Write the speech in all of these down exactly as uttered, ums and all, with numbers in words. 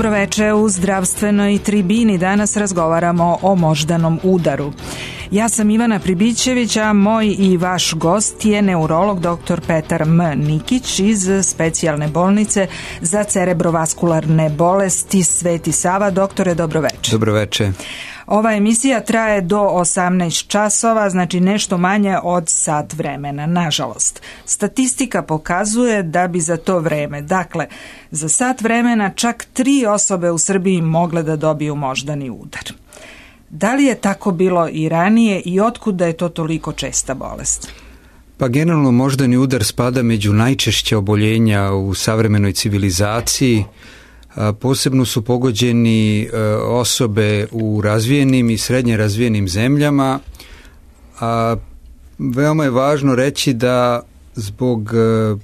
Dobroveče u zdravstvenoj tribini. Danas razgovaramo o moždanom udaru. Ja sam Ivana Pribićević, a moj i vaš gost je neurolog doktor Petar M. Nikić iz specijalne bolnice za cerebrovaskularne bolesti Sveti Sava. Doktore, dobroveče. Dobroveče. Ova emisija traje do osamnaest časova, znači nešto manje od sat vremena, nažalost. Statistika pokazuje da bi za to vreme, dakle, za sat vremena čak tri osobe u Srbiji mogle da dobiju moždani udar. Da li je tako bilo i ranije i otkuda je to toliko česta bolest? Pa generalno moždani udar spada među najčešća oboljenja u savremenoj civilizaciji. Posebno su pogođeni osobe u razvijenim i srednje razvijenim zemljama. A veoma je važno reći da zbog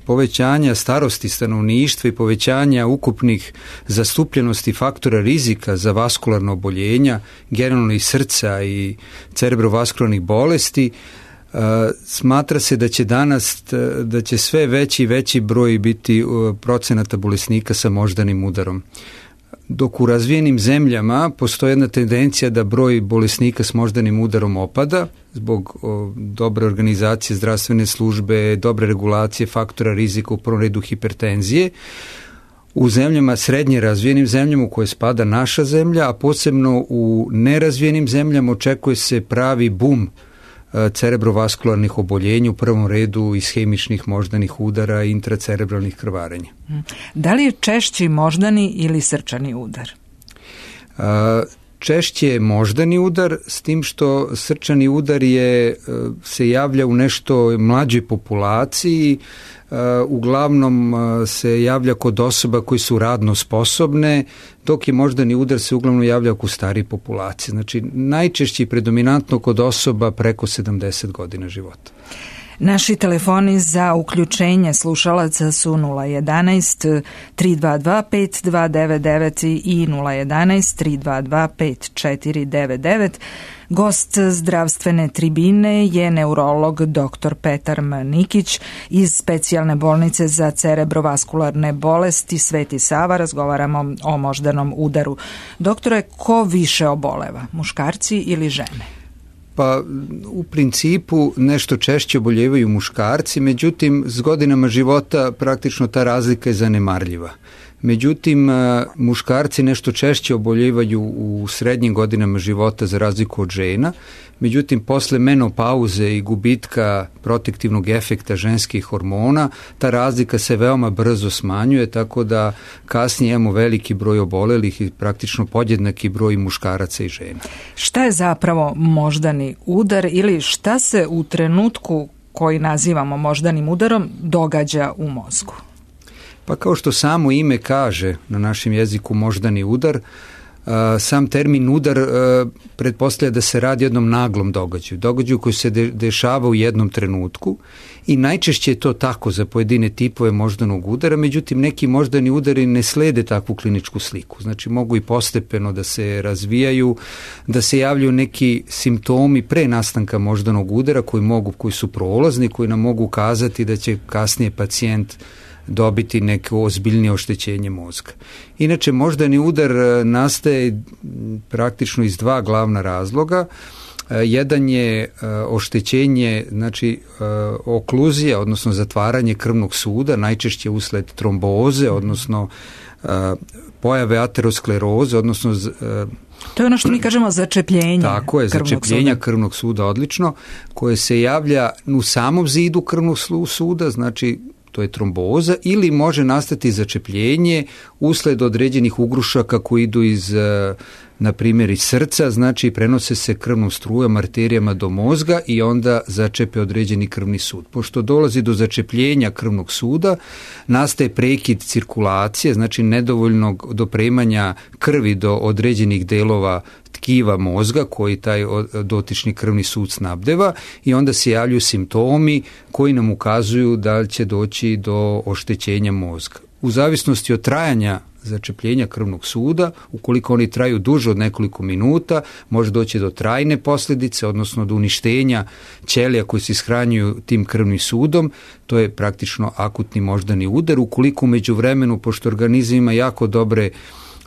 povećanja starosti stanovništva i povećanja ukupnih zastupljenosti faktora rizika za vaskularno oboljenja, generalno i srca i cerebrovaskularnih bolesti, smatra se da će danas da će sve veći i veći broj biti procenata bolesnika sa moždanim udarom. Dok u razvijenim zemljama postoji jedna tendencija da broj bolesnika s moždanim udarom opada zbog o, dobre organizacije zdravstvene službe, dobre regulacije faktora rizika, u prvom redu hipertenzije. U zemljama, srednje razvijenim zemljama u koje spada naša zemlja, a posebno u nerazvijenim zemljama očekuje se pravi bum cerebrovaskularnih oboljenja, u prvom redu ishemičnih moždanih udara i intracerebralnih krvarenja. Da li je češći moždani ili srčani udar? Češće je moždani udar, s tim što srčani udar je, se javlja u nešto mlađoj populaciji, uglavnom se javlja kod osoba koji su radno sposobne, dok je moždani udar se uglavnom javlja kod starije populacije. Znači najčešće i predominantno kod osoba preko sedamdeset godina života. Naši telefoni za uključenje slušalaca su nula jedanaest tri dva dva pet dva devet devet i nula jedanaest tri dva dva pet četiri devet devet. Gost zdravstvene tribine je neurolog doktor Petar M. Nikić iz specijalne bolnice za cerebrovaskularne bolesti Sveti Sava. Razgovaramo o moždanom udaru. Doktore, ko više oboleva, muškarci ili žene? Pa u principu nešto češće oboljevaju muškarci, međutim s godinama života praktično ta razlika je zanemarljiva. Međutim, muškarci nešto češće oboljevaju u srednjim godinama života za razliku od žena, međutim posle menopauze i gubitka protektivnog efekta ženskih hormona, ta razlika se veoma brzo smanjuje, tako da kasnije imamo veliki broj obolelih i praktično podjednaki broj muškaraca i žena. Šta je zapravo moždani udar ili šta se u trenutku koji nazivamo moždanim udarom događa u mozgu? Pa kao što samo ime kaže na našem jeziku moždani udar, sam termin udar pretpostavlja da se radi o jednom naglom događaju, događaju koji se de- dešava u jednom trenutku i najčešće je to tako za pojedine tipove moždanog udara, međutim neki moždani udari ne slede takvu kliničku sliku, znači mogu i postepeno da se razvijaju, da se javljaju neki simptomi pre nastanka moždanog udara koji mogu, koji su prolazni, koji nam mogu ukazati da će kasnije pacijent dobiti neko ozbiljnije oštećenje mozga. Inače, moždani udar nastaje praktično iz dva glavna razloga. Jedan je oštećenje, znači okluzija, odnosno zatvaranje krvnog suda, najčešće usled tromboze, odnosno pojave ateroskleroze, odnosno to je ono što mi kažemo začepljenje. Tako je, začepljenja suda. krvnog suda, odlično, koje se javlja u samom zidu krvnog suda, znači to je tromboza, ili može nastati začepljenje usled određenih ugrušaka koji idu iz, na primjer, iz srca, znači prenose se krvnom strujom, arterijama do mozga i onda začepe određeni krvni sud. Pošto dolazi do začepljenja krvnog suda, nastaje prekid cirkulacije, znači nedovoljnog dopremanja krvi do određenih delova tkiva mozga koji taj dotični krvni sud snabdeva i onda se javljaju simptomi koji nam ukazuju da će doći do oštećenja mozga. U zavisnosti od trajanja začepljenja krvnog suda, ukoliko oni traju duže od nekoliko minuta, može doći do trajne posljedice, odnosno do uništenja ćelija koji se ishranjuju tim krvnim sudom, to je praktično akutni moždani udar. Ukoliko u međuvremenu, pošto organizam ima jako dobre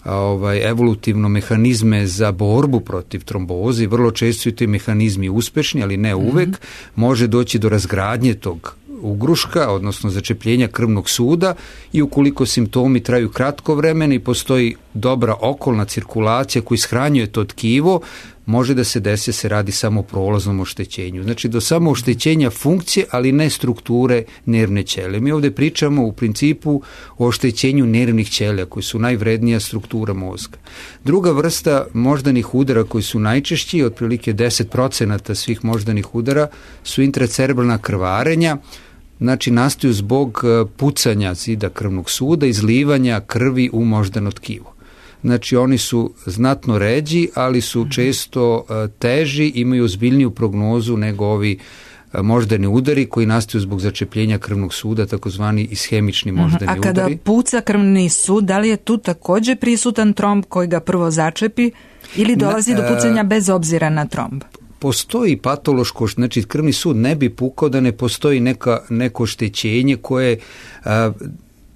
ovaj, evolutivno mehanizme za borbu protiv tromboze i vrlo često su ti mehanizmi uspešni, ali ne uvek, mm-hmm. može doći do razgradnje tog ugruška, odnosno začepljenja krvnog suda i ukoliko simptomi traju kratko vremena i postoji dobra okolna cirkulacija koja ishranjuje to tkivo, može da se desi se radi samo o prolaznom oštećenju. Znači do samo oštećenja funkcije, ali ne strukture nervne ćelije. Mi ovdje pričamo u principu o oštećenju nervnih ćelija koji su najvrednija struktura mozga. Druga vrsta moždanih udara koji su najčešći, otprilike deset procenata svih moždanih udara, su intracerebralna krvarenja, znači nastaju zbog pucanja zida krvnog suda, izlivanja krvi u moždano tkivo. Znači oni su znatno ređi, ali su često teži, imaju ozbiljniju prognozu nego ovi moždani udari koji nastaju zbog začepljenja krvnog suda, takozvani ishemični moždani udari. A kada udari. puca krvni sud, da li je tu također prisutan tromb koji ga prvo začepi ili dolazi do pucanja bez obzira na tromb? Postoji patološko, znači krvni sud ne bi pukao da ne postoji neka, neko oštećenje koje a,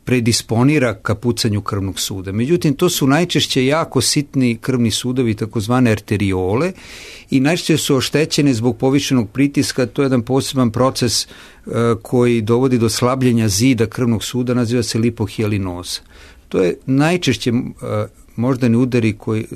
predisponira ka pucanju krvnog suda. Međutim, to su najčešće jako sitni krvni sudovi, takozvane arteriole, i najčešće su oštećene zbog povišenog pritiska. To je jedan poseban proces uh, koji dovodi do slabljenja zida krvnog suda, naziva se lipohialinoza. To je najčešće uh, moždani udari koji,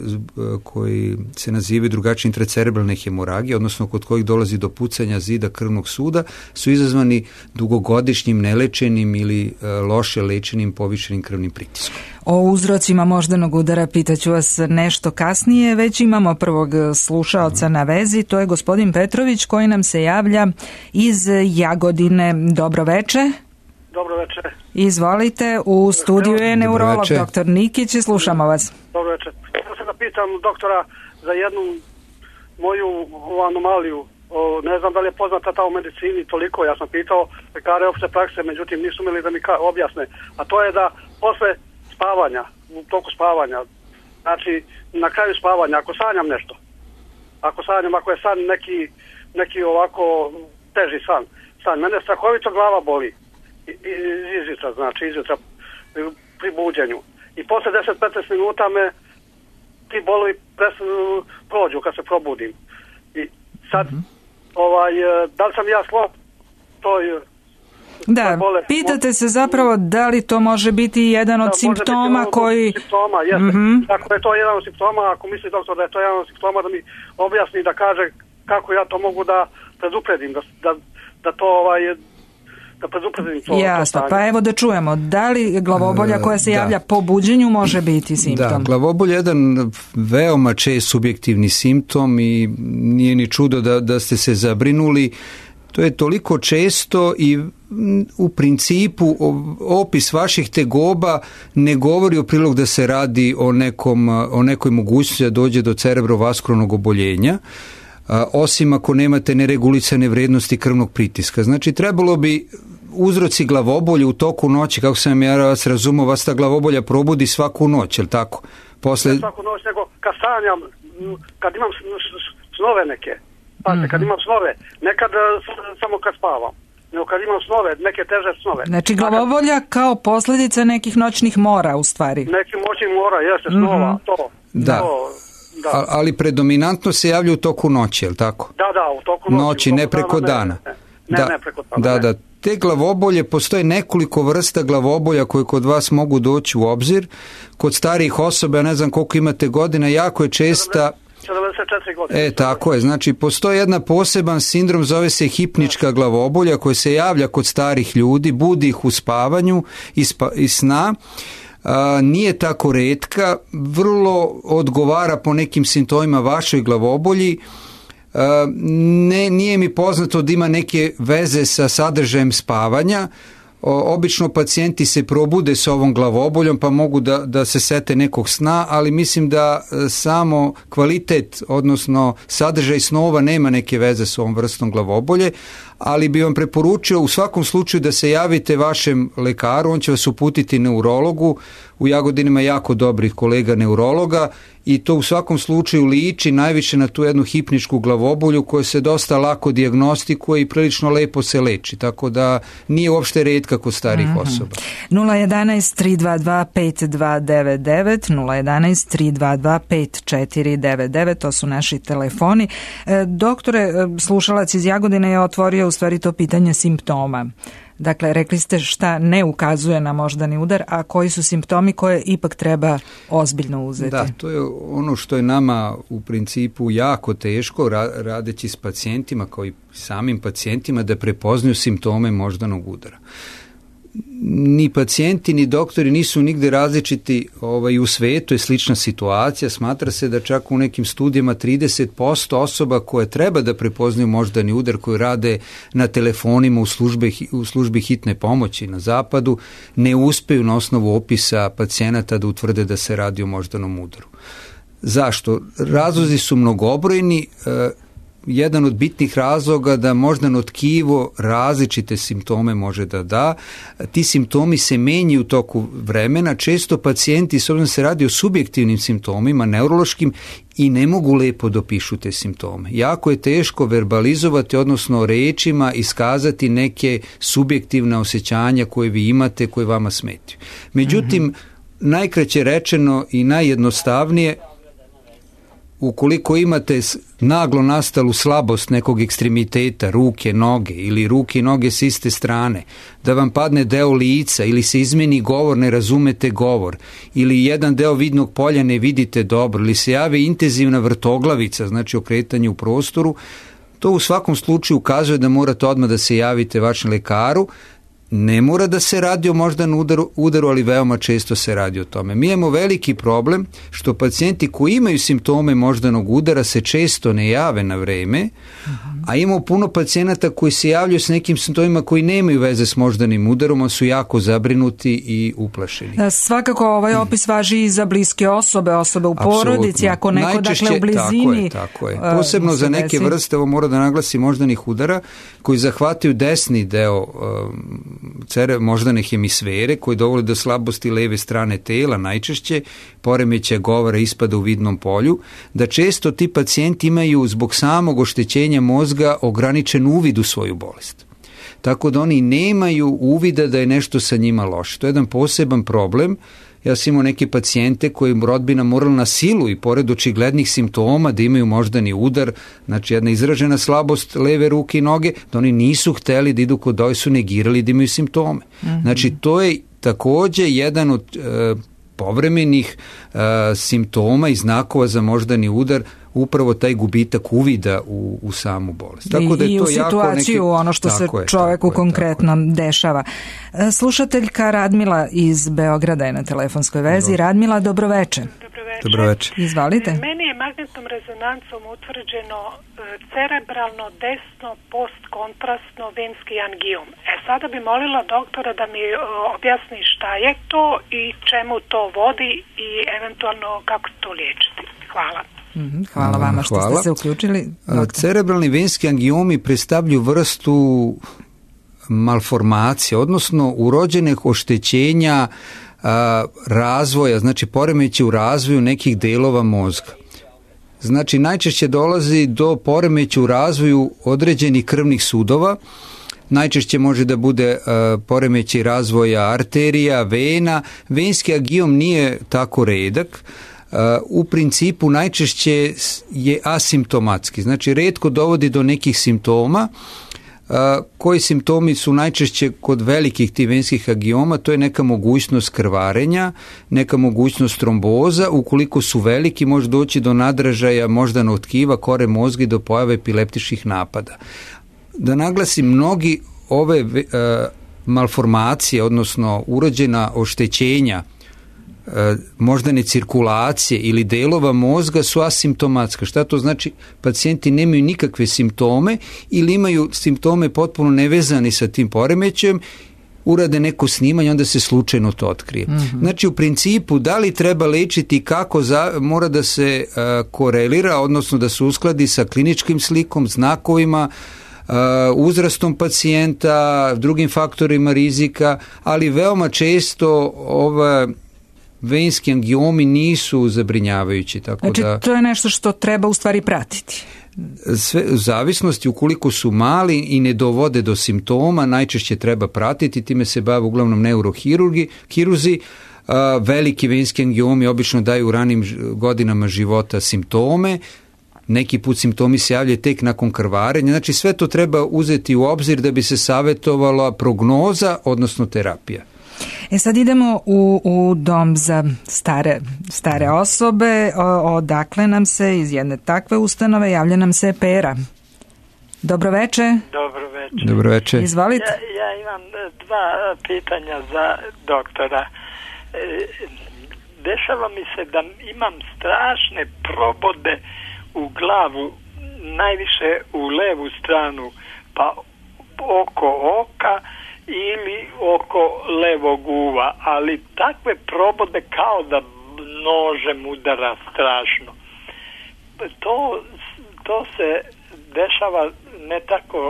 koji se nazivaju drugačije intracerebralne hemoragije, odnosno kod kojih dolazi do pucanja zida krvnog suda, su izazvani dugogodišnjim nelečenim ili loše lečenim povišenim krvnim pritiskom. O uzrocima moždanog udara pitaću vas nešto kasnije, već imamo prvog slušaoca na vezi, to je gospodin Petrović koji nam se javlja iz Jagodine. Dobro veče. Dobro večer. Izvolite, u studiju je neurolog doktor Nikić i slušamo vas. Dobro večer. Ja se da pitam doktora za jednu moju anomaliju. O, ne znam da li je poznata ta u medicini toliko. Ja sam pitao lekare opšte prakse, međutim nisu imali da mi ka- objasne. A to je da posle spavanja, u toku spavanja, znači na kraju spavanja, ako sanjam nešto, ako sanjam, ako je san neki, neki ovako teži san, san, mene strahovito glava boli. Izjutra, znači izjutra pri buđenju. I posle deset do petnaest minuta me ti bolovi prođu kad se probudim. I sad, mm-hmm. ovaj, da li sam ja slab toj Da, bole, pitate se zapravo da li to može biti jedan od da, simptoma biti koji... Od simptoma, jeste. Mm-hmm. Ako je to jedan od simptoma, ako misli doktor da je to jedan od simptoma, da mi objasni, da kaže kako ja to mogu da predupredim, da, da, da to ovaj... da predupredim to. Jasno, pa evo da čujemo, da li glavobolja koja se javlja da. po buđenju može biti simptom? Da, glavobolja je jedan veoma čest subjektivni simptom i nije ni čudo da, da ste se zabrinuli. To je toliko često i u principu opis vaših tegoba ne govori o prilog da se radi o, nekom, o nekoj mogućnosti da dođe do cerebrovaskularnog oboljenja, osim ako nemate neregulisane vrednosti krvnog pritiska. Znači, trebalo bi uzroci glavobolje u toku noći, kako sam ja vas razumio, vas ta glavobolja probudi svaku noć, je li tako? Posle... Ne svaku noć, nego kad sanjam, kad imam snove neke, pazite, mm-hmm. kad imam snove, nekad samo kad spavam, nego kad imam snove, neke teže snove. Znači, glavobolja kao posljedica nekih noćnih mora, u stvari. Neki noćnih mora, jeste, snova, mm-hmm. to. Da. To. Da. Ali predominantno se javlja u toku noći, je li tako? Da, da, u toku noći. Noći, ne preko dana. dana. Ne, ne, da, ne preko dana. Da, da. Te glavobolje, postoje nekoliko vrsta glavobolja koje kod vas mogu doći u obzir. Kod starijih osoba, ja ne znam koliko imate godina, jako je česta... sedamdeset četiri godine. E, tako je. Znači, postoji jedna poseban sindrom, zove se hipnička glavobolja, koja se javlja kod starih ljudi, budi ih u spavanju i, spa, i sna. A, nije tako retka, vrlo odgovara po nekim simptomima vašoj glavobolji. A, ne, nije mi poznato da ima neke veze sa sadržajem spavanja. O, obično pacijenti se probude s ovom glavoboljom pa mogu da, da se sete nekog sna, ali mislim da samo kvalitet, odnosno sadržaj snova nema neke veze s ovom vrstom glavobolje, ali bi vam preporučio u svakom slučaju da se javite vašem lekaru, on će vas uputiti neurologu u Jagodini ima jako dobrih kolega neurologa i to u svakom slučaju liči najviše na tu jednu hipničku glavobolju koja se dosta lako dijagnostikuje i prilično lepo se leči, tako da nije uopšte retka kod starih mm-hmm. osoba. nula jedanaest tri dva dva pet dva devet devet, nula jedanaest tri dva dva pet četiri devet devet, to su naši telefoni. E, doktore, slušalac iz Jagodine je otvorio u stvari to pitanje simptoma. Dakle, rekli ste šta ne ukazuje na moždani udar, a koji su simptomi koje ipak treba ozbiljno uzeti? Da, to je ono što je nama u principu jako teško radeći s pacijentima kao i samim pacijentima da prepoznaju simptome moždanog udara. Ni pacijenti ni doktori nisu nigde različiti, ovaj, u svetu je slična situacija, smatra se da čak u nekim studijama trideset posto osoba koje treba da prepoznaju moždani udar, koji rade na telefonima u, službe, u službi hitne pomoći na zapadu, ne uspeju na osnovu opisa pacijenata da utvrde da se radi o moždanom udaru. Zašto? Razlozi su mnogobrojni. Jedan od bitnih razloga da moždano tkivo različite simptome može da da. Ti simptomi se menjaju u toku vremena. Često pacijenti, s obzirom da se radi o subjektivnim simptomima, neurološkim, i ne mogu lepo dopišu te simptome. Jako je teško verbalizovati, odnosno rečima iskazati neke subjektivne osjećanja koje vi imate, koje vama smetaju. Međutim, mm-hmm. najkraće rečeno i najjednostavnije, ukoliko imate naglo nastalu slabost nekog ekstremiteta, ruke, noge ili ruke i noge s iste strane, da vam padne deo lica ili se izmeni govor, ne razumete govor, ili jedan deo vidnog polja ne vidite dobro, ili se javi intenzivna vrtoglavica, znači okretanje u prostoru, to u svakom slučaju ukazuje da morate odmah da se javite vašem lekaru. Ne mora da se radi o moždanom udaru, udaru, ali veoma često se radi o tome. Mi imamo veliki problem što pacijenti koji imaju simptome moždanog udara se često ne jave na vreme, uh-huh. a imamo puno pacijenata koji se javljaju s nekim simptomima koji nemaju veze s moždanim udarom, a su jako zabrinuti i uplašeni. Da, svakako ovaj opis važi i za bliske osobe, osobe u porodici, ako neko najčešće, dakle u blizini. Tako je, tako je. Posebno za neke desi. vrste, ovo mora da naglasi moždanih udara, koji zahvataju desni deo um, cere, moždane hemisfere, koji dovode do slabosti leve strane tela, najčešće poremećaja govora, ispada u vidnom polju, da često ti pacijenti imaju zbog samog oštećenja mozga ograničen uvid u svoju bolest. Tako da oni nemaju uvida da je nešto sa njima loše. To je jedan poseban problem. Ja sam imao neke pacijente koji rodbina morala na silu i pored očiglednih simptoma da imaju moždani udar, znači jedna izražena slabost leve ruke i noge, da oni nisu hteli da idu kod doje, su negirali da imaju simptome. Mm-hmm. Znači to je takođe jedan od e, povremenih e, simptoma i znakova za moždani udar, upravo taj gubitak uvida u, u samu bolest. Tako da je I to u situaciju, jako neki... ono što tako se je, čoveku konkretno je, dešava. Slušateljka Radmila iz Beograda je na telefonskoj vezi. Dobro. Radmila, dobroveče. Dobroveče. Dobroveče. Izvalite. Meni je magnetnom rezonancom utvrđeno cerebralno desno postkontrastno venski angiom. E sada bi molila doktora da mi objasni šta je to i čemu to vodi i eventualno kako to liječiti. Hvala. Hvala vama što Hvala. ste se uključili. Doktor. Cerebralni venski angiomi predstavljaju vrstu malformacije, odnosno urođenih oštećenja a, razvoja, znači poremećaja u razvoju nekih delova mozga. Znači najčešće dolazi do poremećaja u razvoju određenih krvnih sudova, najčešće može da bude uh, poremećaj razvoja arterija, vena. Venski angiom nije tako redak. Uh, u principu najčešće je asimptomatski, znači retko dovodi do nekih simptoma. Uh, koji simptomi su najčešće kod velikih tih venskih angioma? To je neka mogućnost krvarenja, neka mogućnost tromboza. Ukoliko su veliki, može doći do nadražaja moždanog tkiva, kore mozga i do pojave epileptičkih napada. Da naglasim, mnogi ove uh, malformacije, odnosno urođena oštećenja uh, moždane cirkulacije ili delova mozga su asimptomatska. Šta to znači? Pacijenti nemaju nikakve simptome ili imaju simptome potpuno nevezani sa tim poremećajem, urade neko snimanje, onda se slučajno to otkrije. Mm-hmm. Znači, u principu, da li treba lečiti, kako za, mora da se uh, korelira, odnosno da se uskladi sa kliničkim slikom, znakovima, Uh, uzrastom pacijenta, drugim faktorima rizika, ali veoma često ova venski angiomi nisu zabrinjavajući. Tako znači, da, to je nešto što treba u stvari pratiti. Sve, u zavisnosti ukoliko su mali i ne dovode do simptoma, najčešće treba pratiti, time se bave uglavnom neurohirurzi, hiruzi. Veliki venski angiomi obično daju u ranim godinama života simptome, neki put simptomi se javljaju tek nakon krvarenja, znači sve to treba uzeti u obzir da bi se savjetovala prognoza, odnosno terapija. E sad idemo u, u dom za stare, stare osobe, o, odakle nam se iz jedne takve ustanove javlja nam se Pera. Dobro veče. Dobro veče. Dobro veče. Izvolite. Ja, ja imam dva pitanja za doktora. Dešava mi se da imam strašne probode u glavu, najviše u levu stranu, pa oko oka ili oko levog uva, ali takve probode kao da nožem udara strašno. To, to se dešava ne tako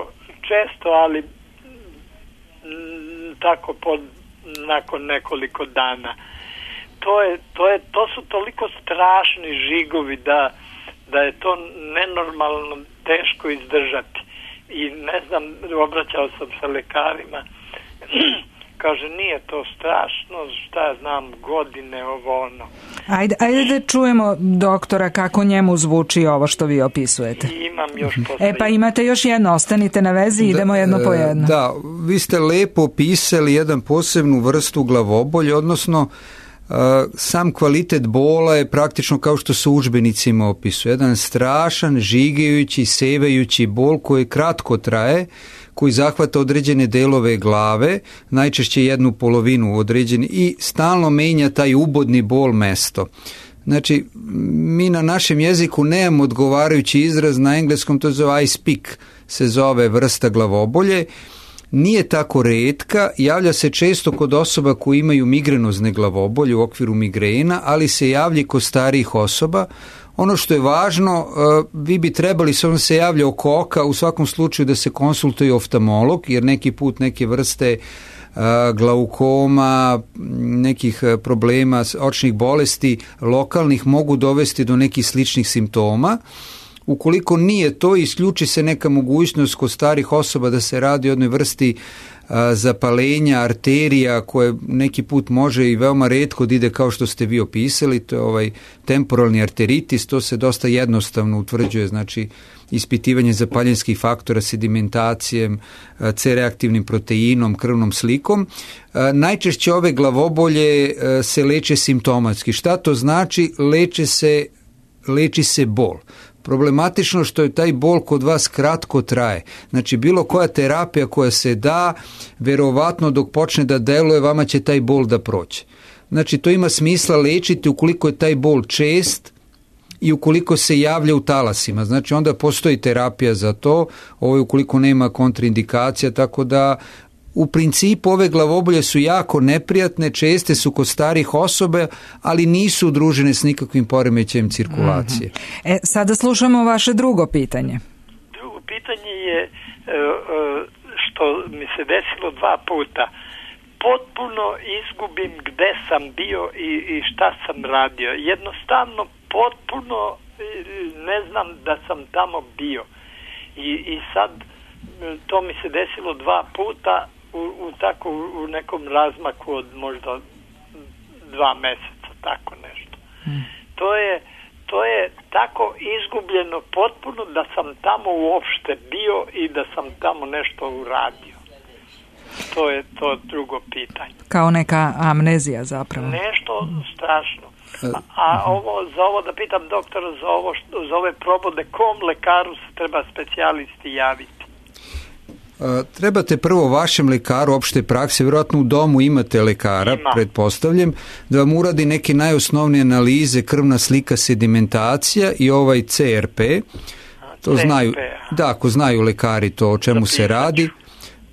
često, ali m, tako pod, nakon nekoliko dana. To je, to je, to su toliko strašni žigovi da, da je to nenormalno teško izdržati. I ne znam, obraćao sam se lekarima, kaže nije to strašno, šta ja znam, godine ovo ono. Ajde, ajde da čujemo doktora kako njemu zvuči ovo što vi opisujete. I imam još posle. E pa imate još jedno, ostanite na vezi, idemo da, jedno po jedno. Da, vi ste lepo opisali jedan posebnu vrstu glavobolje, odnosno Uh, sam kvalitet bola je praktično kao što se u udžbenicima opisuje. Jedan strašan, žigajući, sevajući bol koji kratko traje, koji zahvata određene delove glave, najčešće jednu polovinu određene i stalno menja taj ubodni bol mesto. Znači, mi na našem jeziku nemamo odgovarajući izraz, na engleskom to zove ice pick, se zove vrsta glavobolje. Nije tako retka, javlja se često kod osoba koji imaju migrenozne glavobolje u okviru migrena, ali se javlja kod starijih osoba. Ono što je važno, vi bi trebali, s ovom se javlja oko oka, u svakom slučaju da se konsultuje oftalmolog, jer neki put neke vrste glaukoma, nekih problema, očnih bolesti lokalnih mogu dovesti do nekih sličnih simptoma. Ukoliko nije to, isključi se neka mogućnost kod starih osoba da se radi o jednoj vrsti a, zapalenja arterija koje neki put može i veoma retko da ide kao što ste vi opisali, to je ovaj temporalni arteritis, to se dosta jednostavno utvrđuje, znači ispitivanje zapaljenskih faktora sedimentacijem, C-reaktivnim proteinom, krvnom slikom. A, najčešće ove glavobolje a, se leče simptomatski. Šta to znači? Leče se, leči se bol. Problematično što je taj bol kod vas kratko traje. Znači, bilo koja terapija koja se da, verovatno dok počne da deluje, vama će taj bol da prođe. Znači, to ima smisla lečiti ukoliko je taj bol čest i ukoliko se javlja u talasima. Znači, onda postoji terapija za to, ovo je ukoliko nema kontraindikacija, tako da u principu ove glavobolje su jako neprijatne, česte su kod starih osoba, ali nisu udružene s nikakvim poremećajem cirkulacije. Mm-hmm. E, sada slušamo vaše drugo pitanje. Drugo pitanje je što mi se desilo dva puta. Potpuno izgubim gde sam bio i, i šta sam radio. Jednostavno potpuno ne znam da sam tamo bio. I, i sad to mi se desilo dva puta u, u tako u nekom razmaku od možda dva meseca, tako nešto. Hmm. To je to je tako izgubljeno potpuno da sam tamo uopšte bio i da sam tamo nešto uradio. To je to drugo pitanje. Kao neka amnezija zapravo. Nešto strašno. A, a ovo, za ovo da pitam doktora, za, ovo, za ove probode, kom lekaru se treba specijalisti javiti? Trebate prvo vašem lekaru opšte prakse, vjerojatno u domu imate lekara, Ima. pretpostavljam, da vam uradi neke najosnovnije analize, krvna slika, sedimentacija i ovaj C R P. To C R P, znaju, da, ako znaju lekari to o čemu se radi.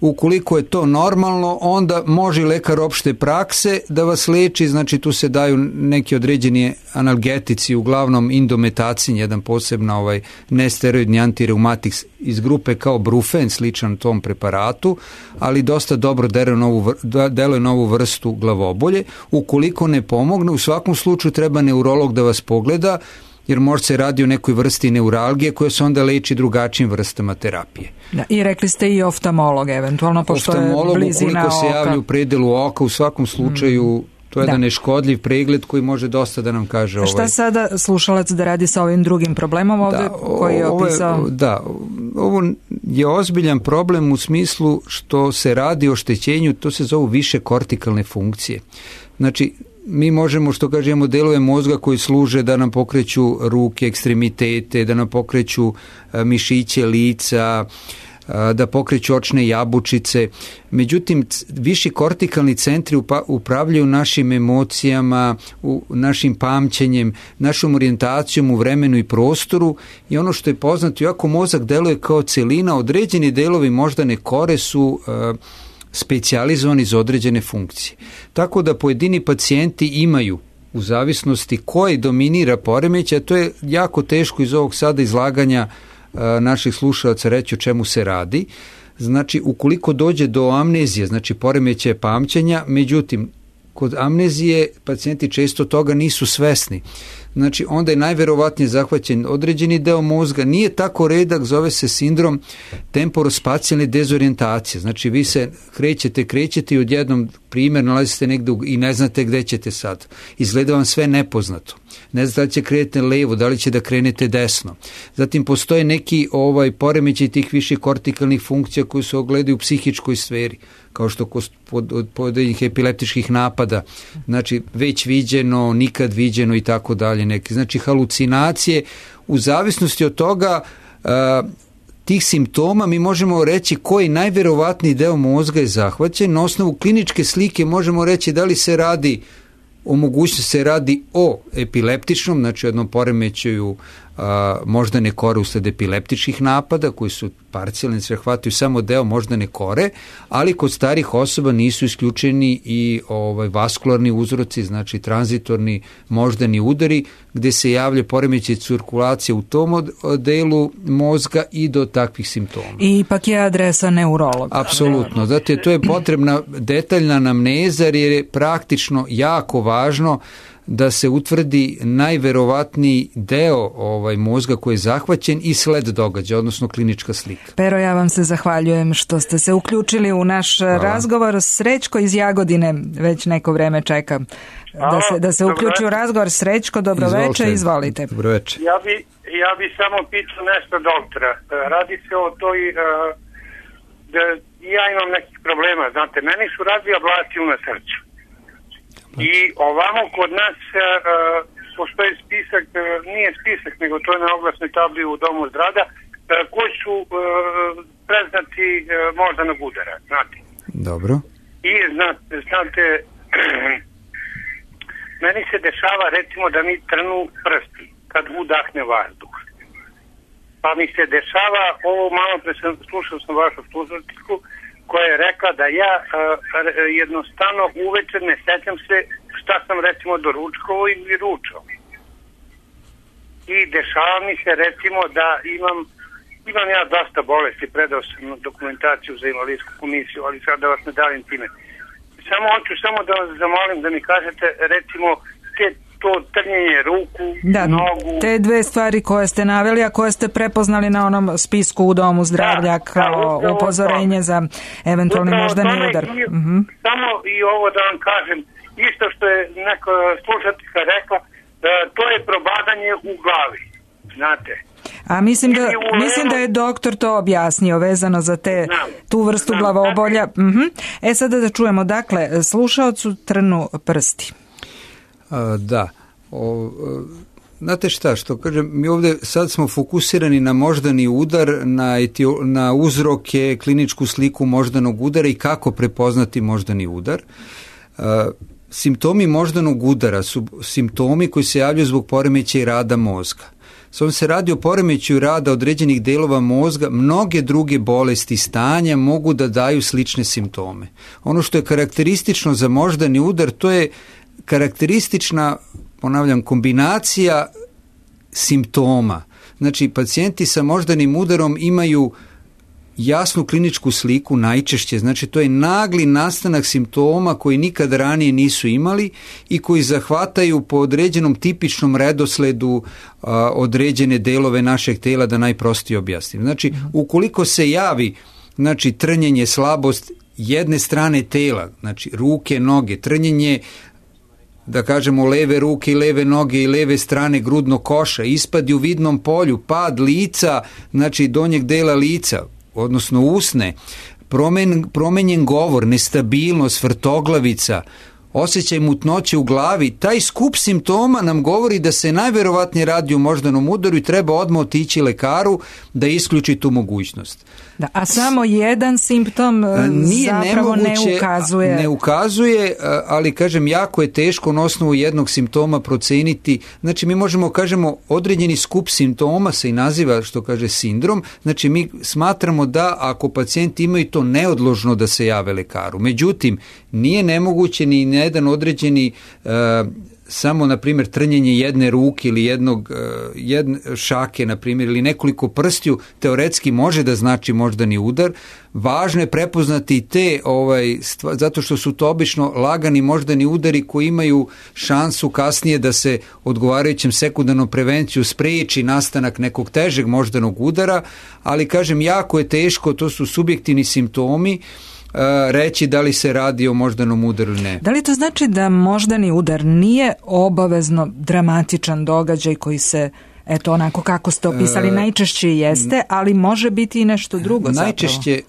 Ukoliko je to normalno, onda može lekar opšte prakse da vas leči, znači tu se daju neki određeni analgetici, uglavnom indometacin, jedan posebno ovaj nesteroidni antireumatik iz grupe kao Brufen, sličan tom preparatu, ali dosta dobro deluje na ovu, deluje na ovu vrstu glavobolje. Ukoliko ne pomogne, u svakom slučaju treba neurolog da vas pogleda, jer možda se radi o nekoj vrsti neuralgije koja se onda leči drugačijim vrstama terapije. Da, i rekli ste i oftalmolog eventualno, pošto oftalmolog, je blizina ukoliko se oka. javlja u predelu oka, u svakom slučaju to je da. jedan neškodljiv pregled koji može dosta da nam kaže. Ovaj... Šta sada slušalac da radi sa ovim drugim problemom ovde da, koji je opisao? Ovo je, da, ovo je ozbiljan problem u smislu što se radi o oštećenju, to se zovu više kortikalne funkcije. Znači, mi možemo, što kažemo, delove mozga koji služe da nam pokreću ruke, ekstremitete, da nam pokreću mišiće lica, da pokreću očne jabučice. Međutim, viši kortikalni centri upravljaju našim emocijama, našim pamćenjem, našom orijentacijom u vremenu i prostoru i ono što je poznato, iako mozak deluje kao celina, određeni delovi moždane kore su specijalizovani za određene funkcije. Tako da pojedini pacijenti imaju, u zavisnosti koji dominira poremećaj, a to je jako teško iz ovog sada izlaganja naših slušalaca reći o čemu se radi. Znači, ukoliko dođe do amnezije, znači poremećaja pamćenja, međutim, kod amnezije pacijenti često toga nisu svesni. Znači, onda je najverovatnije zahvaćen određeni deo mozga, nije tako redak, zove se sindrom temporospacijalne dezorijentacije. Znači, vi se krećete, krećete i odjednom, primjer, nalazite negde i ne znate gde ćete sad. Izgleda vam sve nepoznato. Ne znate da li će krenete levo, da li će da krenete desno. Zatim, postoje neki ovaj, poremećaj tih viših kortikalnih funkcija koji se ogledaju u psihičkoj sferi, kao što kod pojedinih epileptičkih napada, znači već viđeno, nikad viđeno i tako dalje. Neki. Znači halucinacije, u zavisnosti od toga a, tih simptoma mi možemo reći koji najverovatniji deo mozga je zahvaćen. Na osnovu kliničke slike možemo reći da li se radi o mogućnosti se radi o epileptičnom, znači jednom poremećaju a, moždane kore usled epileptičkih napada koji su parcijalni, se hvataju samo deo moždane kore, ali kod starih osoba nisu isključeni i ovaj, vaskularni uzroci, znači tranzitorni moždani udari gde se javlja poremećaj cirkulacije u tom delu mozga i do takvih simptoma. I ipak je adresa neurologa. Apsolutno, zato to je potrebna detaljna anamneza jer je praktično jako važno da se utvrdi najverovatniji deo ovaj mozga koji je zahvaćen i sled događaja, odnosno klinička slika. Pero, ja vam se zahvaljujem što ste se uključili u naš Hvala. razgovor. Srećko iz Jagodine već neko vreme čeka da se, da se uključi u razgovor. Srećko, dobroveče, izvolite. Dobroveče. Ja bi, ja bi samo pitao nešto doktora. Radi se o toj, da ja imam nekih problema, znate, meni su razvija ablaciju na srcu. I ovamo kod nas uh, postoji spisak, uh, nije spisak, nego to je na oglasnoj tabli u Domu zdravlja, uh, koji su uh, preznaci uh, moždanog udara, znate. Dobro. I znate, znate meni se dešava recimo da mi trnu prsti kad udahne vazduh. Pa mi se dešava, ovo malo pre sam, slušao sam vašu slušateljku, koja je rekla da ja uh, jednostavno uveče ne sećam se šta sam recimo doručkovo ili ručao. I dešava mi se recimo da imam imam ja dosta bolesti, predao sam dokumentaciju za invalidsku komisiju, ali sad da vas ne davim time. Samo hoću samo da vas zamolim da mi kažete recimo te to trnjenje ruku, da, nogu. Te dve stvari koje ste naveli, a koje ste prepoznali na onom spisku u Domu zdravlja da, kao da, upozorenje za eventualni moždani udar. I, uh-huh. Samo i ovo da vam kažem, isto što je neka slušateljka rekla, da to je probadanje u glavi, znate. A mislim da, mislim da je doktor to objasnio vezano za te, znam, tu vrstu znam, glavobolja. Uh-huh. E sada da čujemo, dakle, slušaocu trnu prsti. A, da, o, znate šta, što kažem, mi ovdje sad smo fokusirani na moždani udar, na, etio, na uzroke, kliničku sliku moždanog udara i kako prepoznati moždani udar. A, simptomi moždanog udara su simptomi koji se javljaju zbog poremećaja rada mozga. On se radi o poremećaju rada određenih delova mozga, mnoge druge bolesti stanja mogu da daju slične simptome. Ono što je karakteristično za moždani udar, to je karakteristična, ponavljam, kombinacija simptoma. Znači, pacijenti sa moždanim udarom imaju jasnu kliničku sliku najčešće, znači to je nagli nastanak simptoma koji nikad ranije nisu imali i koji zahvataju po određenom tipičnom redosledu a, određene delove našeg tela, da najprostije objasnim. Znači, ukoliko se javi znači, trnjenje, slabost jedne strane tela, znači ruke, noge, trnjenje da kažemo leve ruke i leve noge i leve strane grudnog koša, ispadi u vidnom polju, pad lica, znači donjeg dela lica, odnosno usne, promen, promenjen govor, nestabilnost, vrtoglavica, osjećaj mutnoće u glavi, taj skup simptoma nam govori da se najverovatnije radi o moždanom udaru i treba odmah otići lekaru da isključi tu mogućnost. Da, a samo jedan simptom Nije zapravo nemoguće, ne ukazuje. Ne ukazuje, ali kažem, jako je teško na osnovu jednog simptoma proceniti. Znači mi možemo, kažemo, određeni skup simptoma se i naziva, što kaže, sindrom. Znači mi smatramo da ako pacijenti imaju to neodložno da se jave lekaru. Međutim, nije nemoguće ni jedan određeni uh, samo, na primjer, trnjenje jedne ruke ili jednog jedne šake, na primjer, ili nekoliko prstiju, teoretski može da znači moždani udar. Važno je prepoznati te, ovaj, stva, zato što su to obično lagani moždani udari koji imaju šansu kasnije da se odgovarajućem sekundarnom prevenciju spreči nastanak nekog težeg moždanog udara, ali, kažem, jako je teško, to su subjektivni simptomi, reći da li se radi o moždanom udaru ili ne. Da li to znači da moždani udar nije obavezno dramatičan događaj koji se, eto, onako kako ste opisali, najčešće jeste, ali može biti i nešto drugo zapravo? Najčešće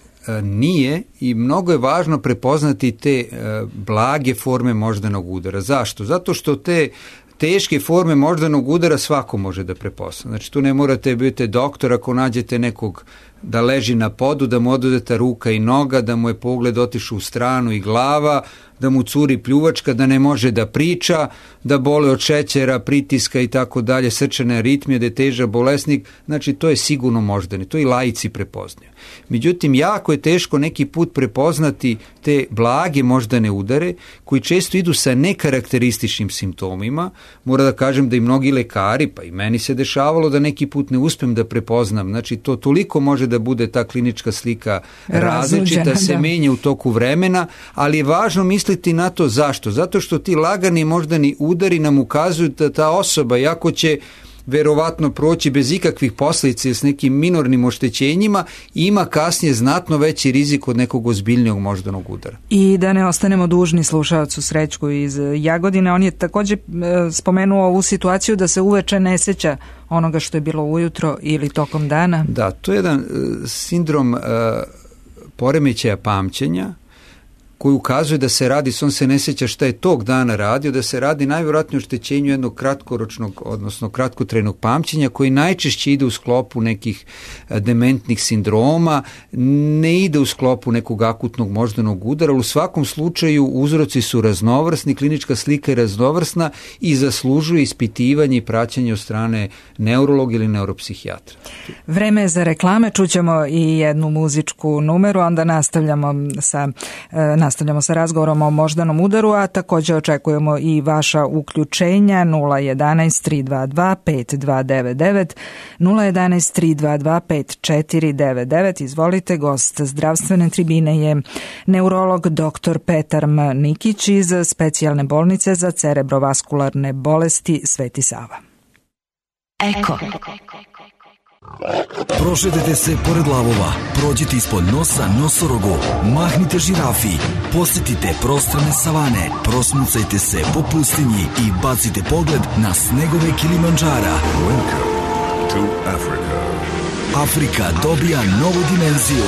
nije i mnogo je važno prepoznati te blage forme moždanog udara. Zašto? Zato što te teške forme moždanog udara svako može da prepozna. Znači tu ne morate biti doktor ako nađete nekog da leži na podu, da mu oduzeta ruka i noga, da mu je pogled otišao u stranu i glava, da mu curi pljuvačka, da ne može da priča, da bole od šećera, pritiska i tako dalje, srčane aritmije, da je težak bolesnik, znači to je sigurno moždani, to i laici prepoznaju. Međutim, jako je teško neki put prepoznati te blage moždane udare, koji često idu sa nekarakterističnim simptomima. Mora da kažem da i mnogi lekari, pa i meni se dešavalo da neki put ne uspem da prepoznam, znači to toliko može da bude ta klinička slika različita, se da. menja u toku vremena, ali je važno misliti na to zašto. Zato što ti lagani moždani udari nam ukazuju da ta osoba, jako će verovatno proći bez ikakvih posljedica s nekim minornim oštećenjima, ima kasnije znatno veći rizik od nekog ozbiljnijeg moždanog udara. I da ne ostanemo dužni slušaocu Srećku iz Jagodine, on je također spomenuo ovu situaciju da se uveče ne sjeća onoga što je bilo ujutro ili tokom dana. Da, to je jedan uh, sindrom uh, poremećaja pamćenja koji ukazuje da se radi, on se ne sjeća šta je tog dana radio, da se radi najvjerojatnije o oštećenju jednog kratkoročnog, odnosno kratkotrajnog pamćenja koji najčešće ide u sklopu nekih dementnih sindroma, ne ide u sklopu nekog akutnog moždanog udara, ali u svakom slučaju uzroci su raznovrsni, klinička slika je raznovrsna i zaslužuje ispitivanje i praćenje od strane neurologa ili neuropsihijatra. Vreme je za reklame, čućemo i jednu muzičku numeru, onda nastavljamo sa Nastavljamo sa razgovorom o moždanom udaru, a također očekujemo i vaša uključenja nula jedanaest tri dva dva pet dva devet devet, nula jedanaest tri dva dva pet četiri devet devet. Izvolite, gost zdravstvene tribine je neurolog doktor Petar M. Nikić iz specijalne bolnice za cerebrovaskularne bolesti Sveti Sava. Eko. Prošetajte se pored lavova, prođite ispod nosa nosorogu, mahnite žirafi, posjetite prostrane savane, prosmucajte se po pustinji i bacite pogled na snegove Kilimandžara. Welcome to Africa. Afrika dobija novu dimenziju.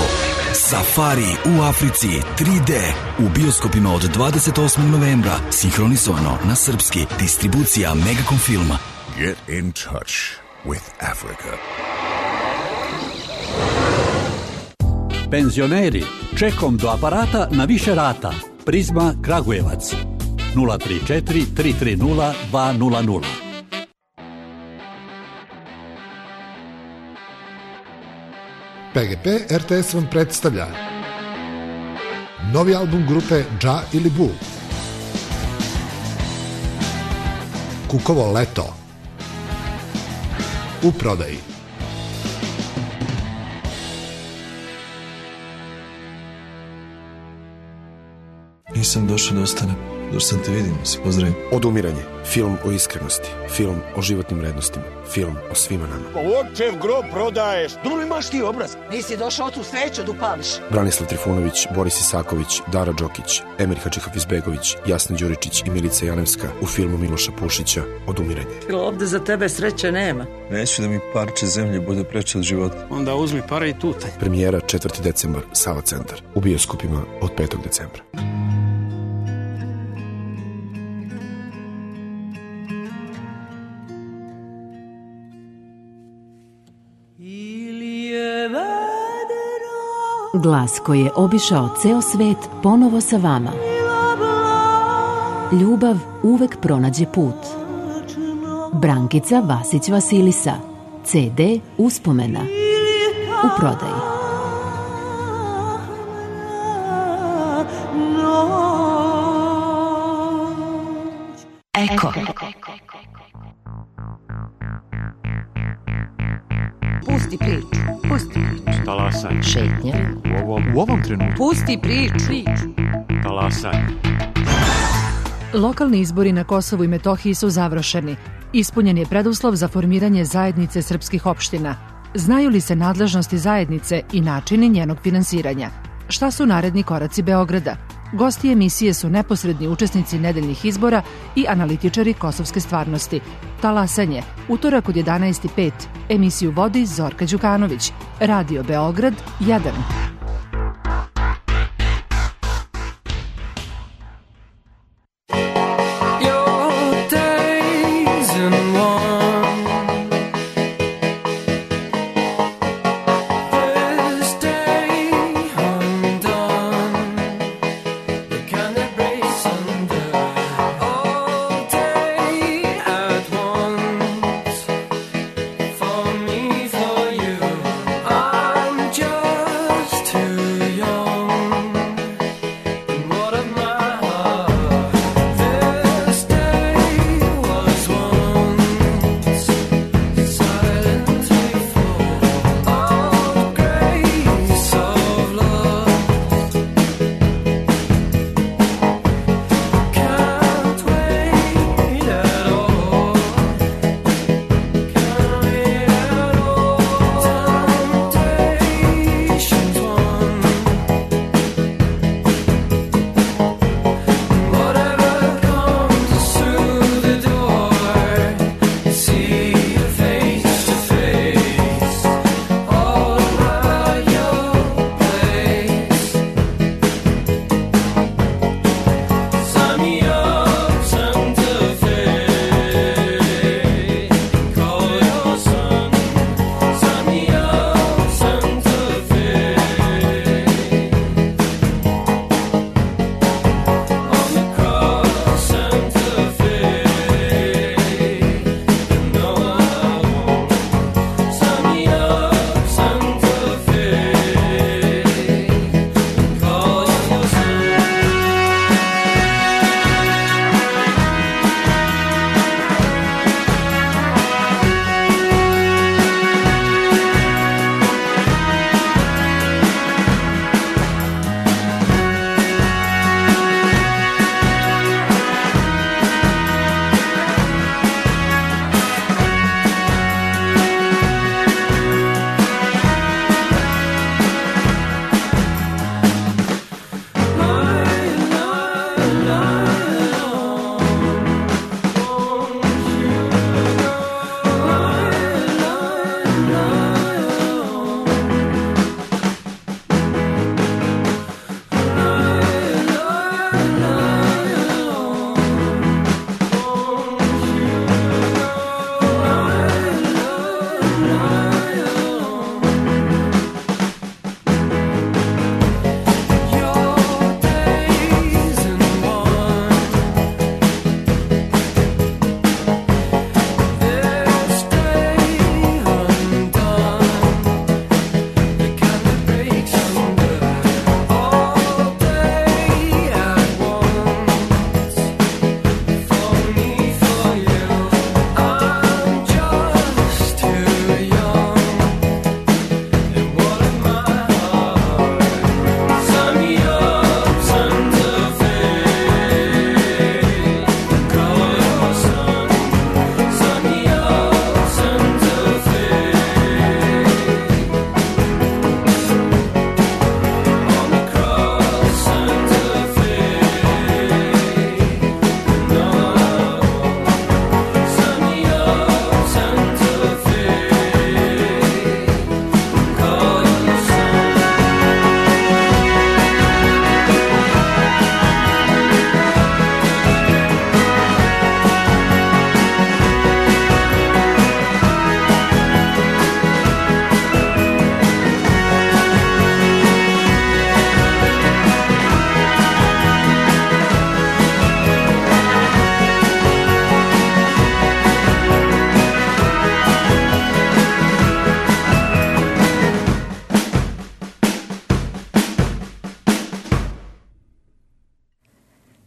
Safari u Africi tri D u bioskopima od dvadeset osmog novembra, sinhronizovano na srpski, distribucija Megacom filma. Get in touch with Africa. Penzioneri, čekom do aparata na više rata. Prizma Kragujevac nula tri četiri tri tri nula dva nula nula. P G P R T S vam predstavlja novi album grupe Dža ili Bu, Kukovo leto, u prodaji. Nisam došao da ostanem. Došao sam te vidim, se pozdravim. Odumiranje. Film o iskrenosti. Film o životnim vrednostima. Film o svima nama. Očev grob prodaješ. Drugi imaš ti obraz. Nisi došao tu sveću da upališ. Branislav Trifunović, Boris Isaković, Dara Đokić, Emir Hadžihafizbegović, Jasna Đuričić i Milica Janevska u filmu Miloša Pušića Odumiranje. Ovde za tebe sreće nema. Neću da mi parče zemlje bude preče od života. Onda uzmi pare i tutaj. Premijera četvrti decembar, Sava centar. U bioskopima od petog decembra. Glas koji je obišao ceo svet ponovo sa vama. Ljubav uvek pronađe put. Brankica Vasić Vasilisa. ce de Uspomena. U prodaji. Eko. Pusti priču. Pusti priču. Talasaj. Šetnja. U ovom, u ovom trenutku. Pusti priču. Talasaj. Lokalni izbori na Kosovu i Metohiji su završeni. Ispunjen je preduslov za formiranje zajednice srpskih opština. Znaju li se nadležnosti zajednice i načini njenog finansiranja? Šta su naredni koraci Beograda? Gosti emisije su neposredni učesnici nedeljnih izbora i analitičari kosovske stvarnosti. Talasanje, utorak od jedanaest i pet. Emisiju vodi Zorka Đukanović. Radio Beograd jedan. Just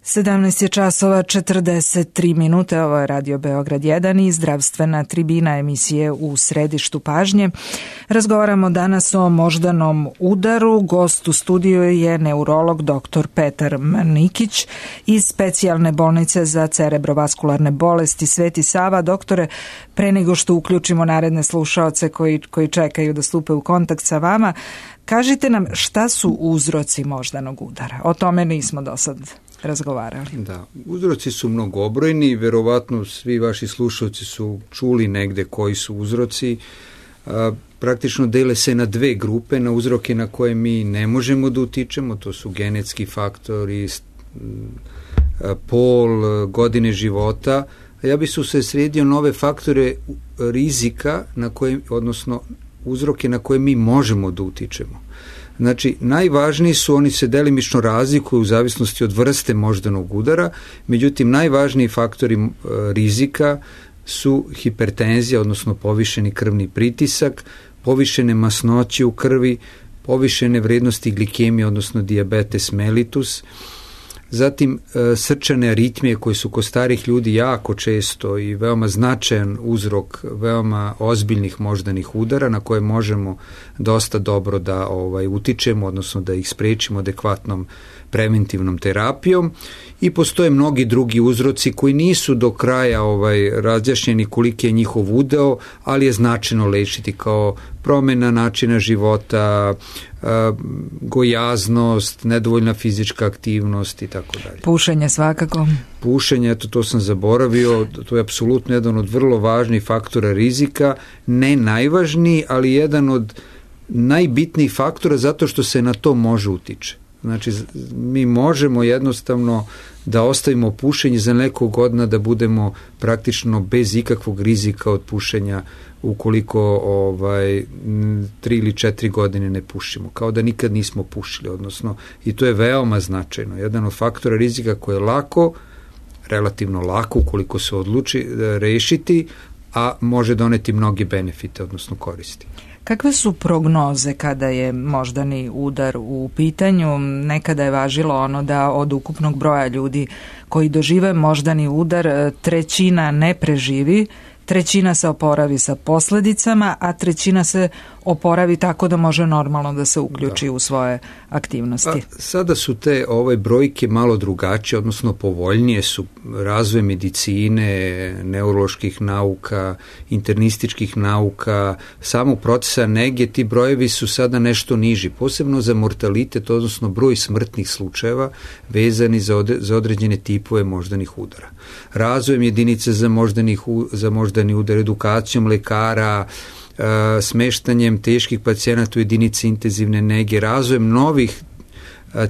sedamnaest je časova četrdeset tri minute, ovo je Radio Beograd jedan i zdravstvena tribina emisije U središtu pažnje. Razgovaramo danas o moždanom udaru. Gost u studiju je neurolog doktor Petar Marnikić iz specijalne bolnice za cerebrovaskularne bolesti Sveti Sava. Doktore, pre nego što uključimo naredne slušaoce koji, koji čekaju da stupe u kontakt sa vama, kažite nam šta su uzroci moždanog udara. O tome nismo do sad razgovarali. Da, uzroci su mnogobrojni, verovatno svi vaši slušalci su čuli negde koji su uzroci. A, praktično dele se na dve grupe, na uzroke na koje mi ne možemo da utičemo, to su genetski faktori, pol, godine života. Ja bih se usredsredio na ove faktore rizika, na koje, odnosno uzroke na koje mi možemo da utičemo. Znači, najvažniji su, oni se delimično razlikuju u zavisnosti od vrste moždanog udara, međutim, najvažniji faktori e, rizika su hipertenzija, odnosno povišeni krvni pritisak, povišene masnoće u krvi, povišene vrednosti glikemije, odnosno dijabetes mellitus, zatim e, srčane aritmije koje su kod starih ljudi jako često i veoma značajan uzrok veoma ozbiljnih moždanih udara na koje možemo dosta dobro da ovaj, utičemo, odnosno da ih sprečimo adekvatnom preventivnom terapijom, i postoje mnogi drugi uzroci koji nisu do kraja ovaj, razjašnjeni koliki je njihov udeo, ali je značajno lečiti, kao promena načina života, gojaznost, nedovoljna fizička aktivnost i tako dalje. Pušenje svakako. Pušenje, eto to sam zaboravio, to je apsolutno jedan od vrlo važnih faktora rizika, ne najvažniji, ali jedan od najbitnijih faktora zato što se na to može utiče. Znači, mi možemo jednostavno da ostavimo pušenje za nekog godina, da budemo praktično bez ikakvog rizika od pušenja ukoliko ovaj, tri ili četiri godine ne pušimo, kao da nikad nismo pušili, odnosno, i to je veoma značajno. Jedan od faktora rizika koji je lako, relativno lako ukoliko se odluči da rešiti, a može doneti mnoge benefite, odnosno koristi. Kakve su prognoze kada je moždani udar u pitanju? Nekada je važilo ono da od ukupnog broja ljudi koji dožive moždani udar trećina ne preživi, trećina se oporavi sa posledicama, a trećina se oporavi tako da može normalno da se uključi da. u svoje aktivnosti. Pa, sada su te ove brojke malo drugačije, odnosno povoljnije su. Razvoj medicine, neuroloških nauka, internističkih nauka, samog procesa nege, ti brojevi su sada nešto niži, posebno za mortalitet, odnosno broj smrtnih slučajeva vezani za, od, za određene tipove moždanih udara. Razvojem jedinice za, moždanih, za moždani udar, edukacijom lekara, smeštanjem teških pacijenata u jedinici intenzivne nege, razvojem novih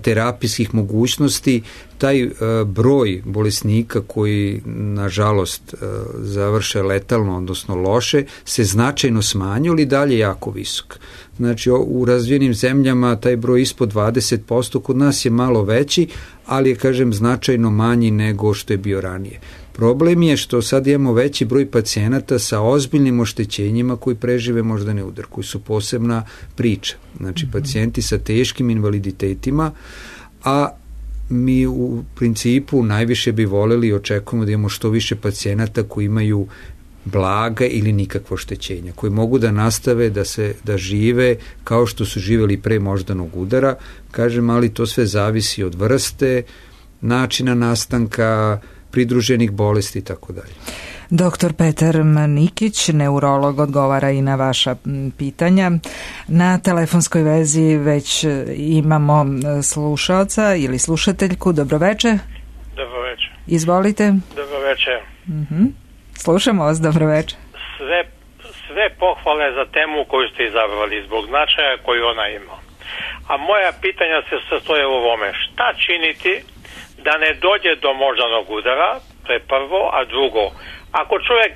terapijskih mogućnosti, taj broj bolesnika koji nažalost završe letalno, odnosno loše, se značajno smanjio, ali dalje jako visok. Znači, u razvijenim zemljama taj broj ispod dvadeset posto, kod nas je malo veći, ali je, kažem, značajno manji nego što je bio ranije. Problem je što sad imamo veći broj pacijenata sa ozbiljnim oštećenjima koji prežive moždani udar, koji su posebna priča. Znači, pacijenti sa teškim invaliditetima, a mi u principu najviše bi voleli i očekujemo da imamo što više pacijenata koji imaju blaga ili nikakvo oštećenja, koji mogu da nastave da se da žive kao što su živeli pre moždanog udara. Kažem, ali to sve zavisi od vrste, načina nastanka, pridruženih bolesti i tako dalje. Doktor Petar Marnikić, neurolog, odgovara i na vaša pitanja. Na telefonskoj vezi već imamo slušaoca ili slušateljku. Dobroveče. Dobroveče. Izvolite. Dobroveče. Uh-huh. Slušamo vas, dobroveče. Sve, sve pohvale za temu koju ste izabrali zbog značaja koju ona ima. A moja pitanja se sastoje u ovome. Šta činiti da ne dođe do moždanog udara, to je prvo, a drugo, ako čovjek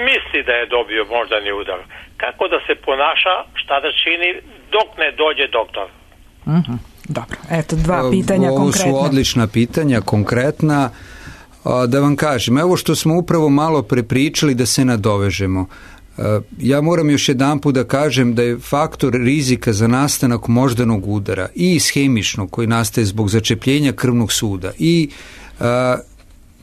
misli da je dobio moždani udar, kako da se ponaša, šta da čini dok ne dođe doktor? Uh-huh. Dobro, eto dva pitanja Ovo konkretna. Ovo su odlična pitanja, konkretna. Da vam kažem, evo što smo upravo malo prepričali, da se nadovežemo. Ja moram još jedanput da kažem da je faktor rizika za nastanak moždanog udara i ishemičnog koji nastaje zbog začepljenja krvnog suda i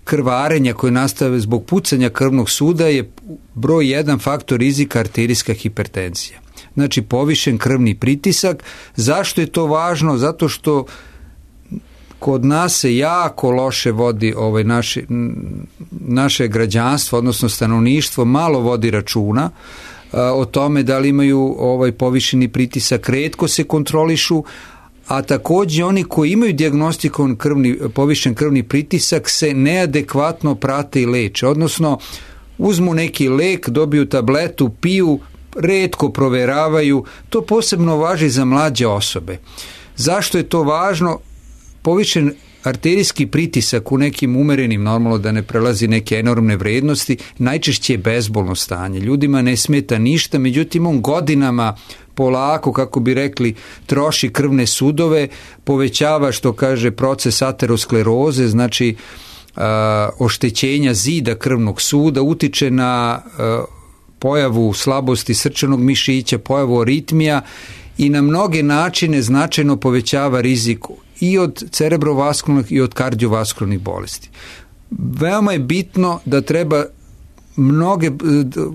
krvarenja koje nastave zbog pucanja krvnog suda je broj jedan faktor rizika arterijska hipertenzija. Znači povišen krvni pritisak. Zašto je to važno? Zato što kod nas se jako loše vodi ovaj naše, naše građanstvo, odnosno stanovništvo, malo vodi računa o tome da li imaju ovaj povišeni pritisak, retko se kontrolišu, a također oni koji imaju dijagnostikovan krvni, povišen krvni pritisak se neadekvatno prate i leče, odnosno uzmu neki lek, dobiju tabletu, piju, retko proveravaju. To posebno važi za mlađe osobe. Zašto je to važno? Povišen arterijski pritisak u nekim umerenim, normalno da ne prelazi neke enormne vrednosti, najčešće je bezbolno stanje. Ljudima ne smeta ništa, međutim on godinama polako, kako bi rekli, troši krvne sudove, povećava, što kaže, proces ateroskleroze, znači a, oštećenja zida krvnog suda, utiče na a, pojavu slabosti srčanog mišića, pojavu aritmija i na mnoge načine značajno povećava rizik i od cerebrovaskularnih i od kardiovaskularnih bolesti. Veoma je bitno da treba mnoge,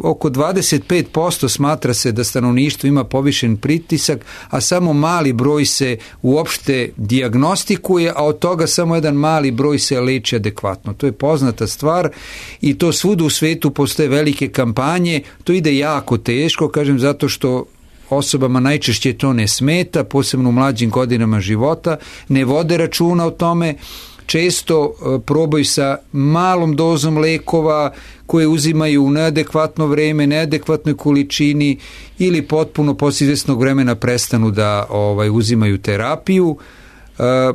oko dvadeset pet posto smatra se da stanovništvo ima povišen pritisak, a samo mali broj se uopšte dijagnostikuje, a od toga samo jedan mali broj se leči adekvatno. To je poznata stvar i to svuda u svetu postoje velike kampanje. To ide jako teško, kažem, zato što osobama najčešće to ne smeta, posebno u mlađim godinama života, ne vode računa o tome, često probaju sa malom dozom lekova koje uzimaju u neadekvatno vreme, neadekvatnoj količini ili potpuno poslije izvjesnog vremena prestanu da ovaj, uzimaju terapiju. E,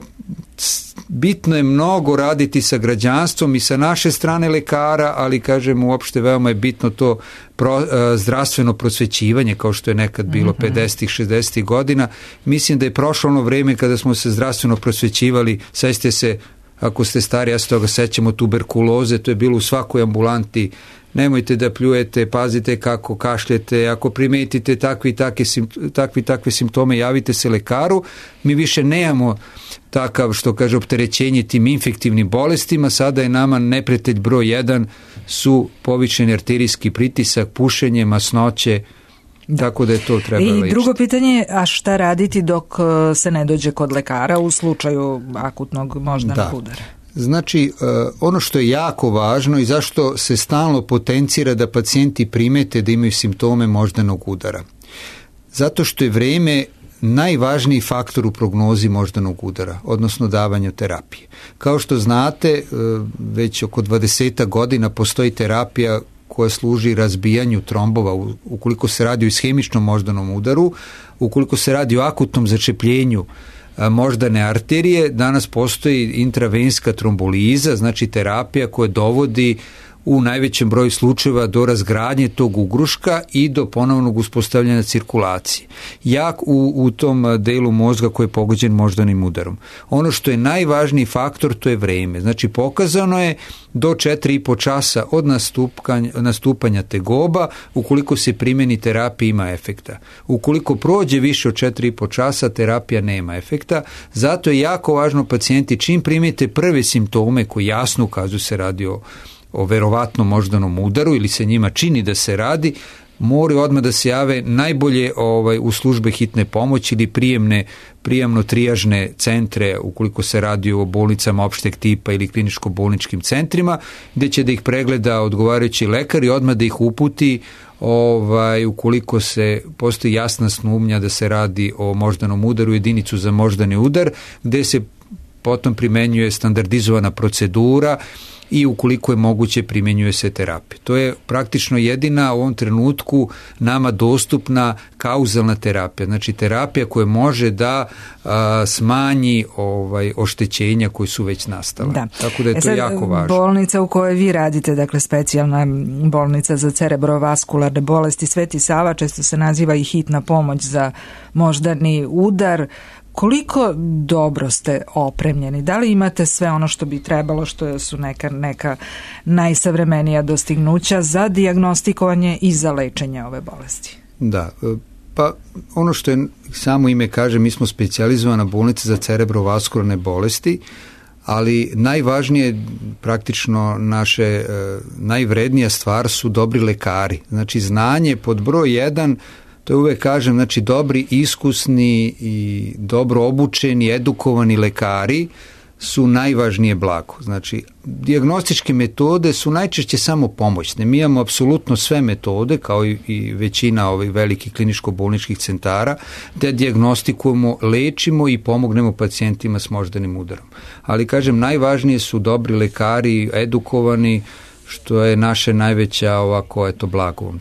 bitno je mnogo raditi sa građanstvom i sa naše strane lekara, ali kažem uopšte veoma je bitno to pro, e, zdravstveno prosvećivanje kao što je nekad bilo mm-hmm. pedesetih, šezdesetih godina. Mislim da je prošlo ono vreme kada smo se zdravstveno prosvećivali, sećate se, ako ste stari, ja se toga sećamo, tuberkuloze, to je bilo u svakoj ambulanti, nemojte da pljujete, pazite kako kašljete, ako primetite takvi takve, takvi takve simptome, javite se lekaru. Mi više nemamo takav, što kaže, opterećenje tim infektivnim bolestima, sada je nama neprijatelj broj jedan su povišeni arterijski pritisak, pušenje, masnoće, da. Tako da je to treba I lečiti. Drugo pitanje, a šta raditi dok se ne dođe kod lekara u slučaju akutnog moždanog udara? Znači, ono što je jako važno i zašto se stalno potencira da pacijenti primete da imaju simptome moždanog udara. Zato što je vreme najvažniji faktor u prognozi moždanog udara, odnosno davanju terapije. Kao što znate, već oko dvadeset godina postoji terapija koja služi razbijanju trombova ukoliko se radi o ishemičnom moždanom udaru, ukoliko se radi o akutnom začepljenju moždane arterije. Danas postoji intravenska tromboliza, znači terapija koja dovodi u najvećem broju slučajeva do razgradnje tog ugruška i do ponovnog uspostavljanja cirkulacije. Jak u, u tom delu mozga koji je pogođen moždanim udarom. Ono što je najvažniji faktor, to je vreme. Znači pokazano je do četiri i po časa od nastupanja, nastupanja tegoba, ukoliko se primjeni terapija ima efekta. Ukoliko prođe više od četiri i po časa, terapija nema efekta. Zato je jako važno pacijenti čim primijete prve simptome koji jasno ukazuju se radi o o verovatno moždanom udaru ili se njima čini da se radi, moraju odmah da se jave najbolje ovaj, u službe hitne pomoći ili prijemne, prijemno-trijažne centre ukoliko se radi o bolnicama opšteg tipa ili kliničko-bolničkim centrima, gdje će da ih pregleda odgovarajući lekar i odmah da ih uputi ovaj, ukoliko se postoji jasna sumnja da se radi o moždanom udaru, jedinicu za moždani udar, gdje se potom primenjuje standardizovana procedura i ukoliko je moguće primjenjuje se terapija. To je praktično jedina u ovom trenutku nama dostupna kauzalna terapija, znači terapija koja može da a, smanji ovaj, oštećenja koji su već nastala. Da. Tako da je e to sad, jako važno. Bolnica u kojoj vi radite, dakle specijalna bolnica za cerebrovaskularne bolesti Sveti Sava, često se naziva i hitna pomoć za moždani udar. Koliko dobro ste opremljeni? Da li imate sve ono što bi trebalo, što su neka, neka najsavremenija dostignuća za dijagnostikovanje i za lečenje ove bolesti? Da, pa ono što je samo ime kaže, mi smo specijalizovana bolnica za cerebrovaskularne bolesti, ali najvažnije, praktično naše e, najvrednija stvar su dobri lekari. Znači znanje pod broj jedan, to je uvek kažem, znači dobri, iskusni i dobro obučeni, edukovani lekari su najvažnije blago. Znači, dijagnostičke metode su najčešće samo pomoćne. Mi imamo apsolutno sve metode, kao i, i većina ovih velikih kliničko-bolničkih centara, da dijagnostikujemo, lečimo i pomognemo pacijentima s moždanim udarom. Ali, kažem, najvažnije su dobri lekari, edukovani, što je naše najveća ovako, eto, blago.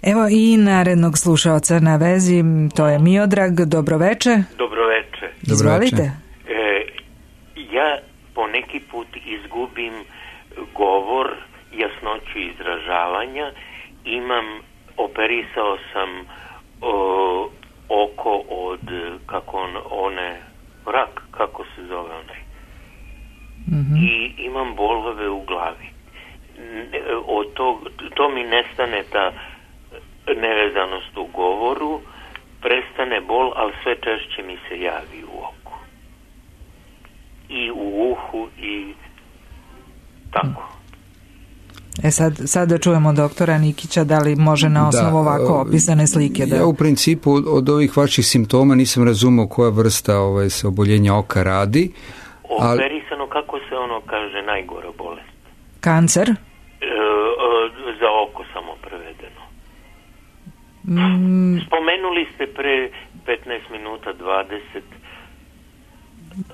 Evo i narednog slušaoca na vezi, to je Miodrag. Dobroveče. Dobroveče. Izvolite. Ja poneki put izgubim govor, jasnoću izražavanja, imam, operisao sam o, oko od, kako on, one, rak, kako se zove onaj, mm-hmm. i imam bolove u glavi. Od tog, to mi nestane ta nevezanost u govoru, prestane bol, ali sve češće mi se javi u oku. I u uhu i tako. E sad, sad da čujemo doktora Nikića, da li može na osnovu da, ovako opisane slike? Da... Ja u principu od, od ovih vaših simptoma nisam razumao koja vrsta ovaj, se oboljenja oka radi. Operisano, ali... kako se ono kaže, najgora bolest? Kancer? E, za oko samo prevedeno. Mm. Spomenuli ste pre petnaest minuta, dvadeset.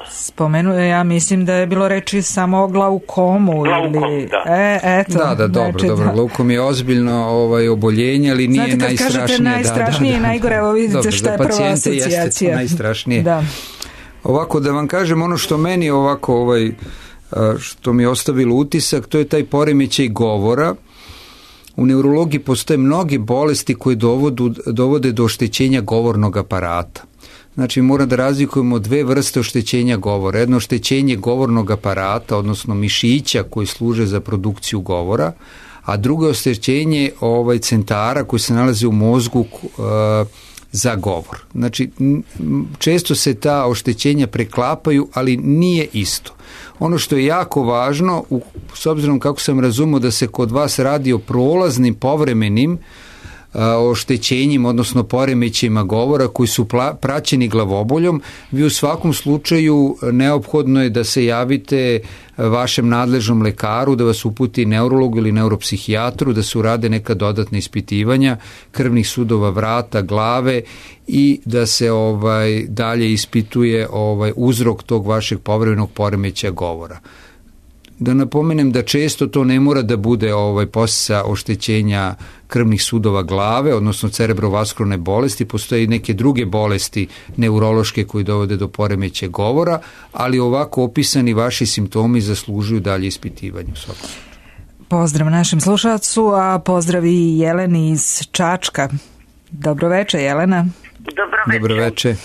Spomenuje, ja mislim da je bilo reči samo o glaukomu. Glaukom, ili... da. E, eto, da, da, dobro, znači, dobro. Da. Glaukom je ozbiljno ovaj, oboljenje, ali nije Znate, najstrašnije. Znate, kad kažete najstrašnije i da, da, da. najgore, evo vidite dobro, šta je prva asocijacija. Jeste najstrašnije. Da. Ovako, da vam kažem, ono što meni ovako, ovaj, što mi je ostavilo utisak, to je taj poremećaj govora. U neurologiji postoje mnoge bolesti koje dovodu, dovode do oštećenja govornog aparata. Znači, moram da razlikujemo dve vrste oštećenja govora. Jedno oštećenje govornog aparata, odnosno mišića koji služe za produkciju govora, a drugo oštećenje ovaj, centara koji se nalaze u mozgu uh, za govor. Znači, često se ta oštećenja preklapaju, ali nije isto. Ono što je jako važno, u, s obzirom kako sam razumio da se kod vas radi o prolaznim, povremenim oštećenjima, odnosno poremećajima govora koji su pla, praćeni glavoboljom, vi u svakom slučaju neophodno je da se javite vašem nadležnom lekaru, da vas uputi neurologu ili neuropsihijatru, da se urade neka dodatna ispitivanja krvnih sudova vrata, glave i da se ovaj dalje ispituje ovaj uzrok tog vašeg povremenog poremećaja govora. Da napomenem da često to ne mora da bude ovaj posljedica oštećenja krvnih sudova glave, odnosno cerebrovaskularne bolesti, postoje i neke druge bolesti neurološke koji dovode do poremećaja govora, ali ovako opisani vaši simptomi zaslužuju dalje ispitivanje. Pozdrav našem slušalcu, a pozdrav i Jeleni iz Čačka. Dobroveče, Jelena. Dobroveče. Dobroveče.